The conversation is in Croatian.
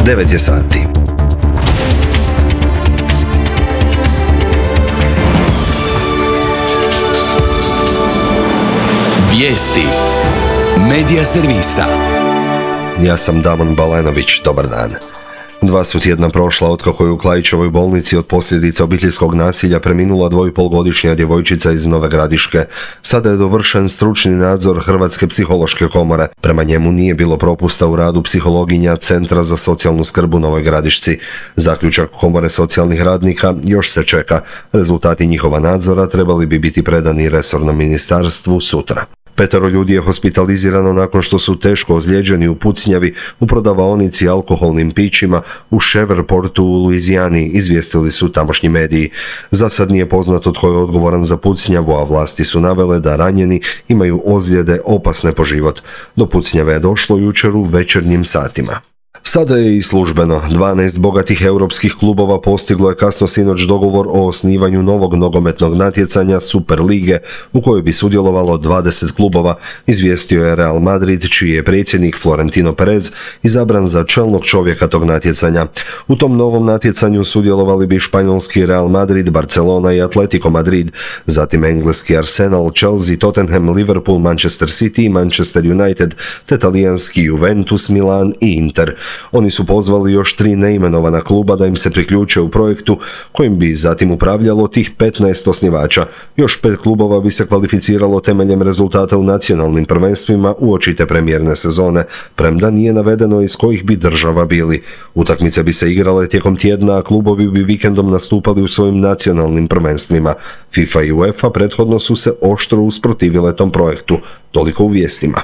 9 je sati. Vijesti Medija servisa. Ja sam Damon Balenović, dobar dan. 2 su tjedna prošla otkako je u Klaićevoj bolnici od posljedica obiteljskog nasilja preminula 2,5-godišnja djevojčica iz Nove Gradiške. Sada je dovršen stručni nadzor Hrvatske psihološke komore. Prema njemu nije bilo propusta u radu psihologinja Centra za socijalnu skrb u Novoj Gradišci. Zaključak komore socijalnih radnika još se čeka. Rezultati njihova nadzora trebali bi biti predani resornom ministarstvu sutra. 5 ljudi je hospitalizirano nakon što su teško ozlijeđeni u pucnjavi u prodavaonici alkoholnim pićima u Shreveport u Luizijani, izvijestili su tamošnji mediji. Za sad nije poznato tko je odgovoran za pucnjavu, a vlasti su navele da ranjeni imaju ozljede opasne po život. Do pucnjave je došlo jučer u večernjim satima. Sada je i službeno. 12 bogatih europskih klubova postiglo je kasno sinoć dogovor o osnivanju novog nogometnog natjecanja Super lige u kojoj bi sudjelovalo 20 klubova, izvijestio je Real Madrid, čiji je predsjednik Florentino Perez izabran za čelnog čovjeka tog natjecanja. U tom novom natjecanju sudjelovali bi španjolski Real Madrid, Barcelona i Atletico Madrid, zatim engleski Arsenal, Chelsea, Tottenham, Liverpool, Manchester City i Manchester United, te talijanski Juventus, Milan i Inter. Oni su pozvali još 3 neimenovana kluba da im se priključe u projektu kojim bi zatim upravljalo tih 15 osnivača. Još 5 klubova bi se kvalificiralo temeljem rezultata u nacionalnim prvenstvima uoči te premijerne sezone, premda nije navedeno iz kojih bi država bili. Utakmice bi se igrale tijekom tjedna, a klubovi bi vikendom nastupali u svojim nacionalnim prvenstvima. FIFA i UEFA prethodno su se oštro usprotivile tom projektu. Toliko u vijestima.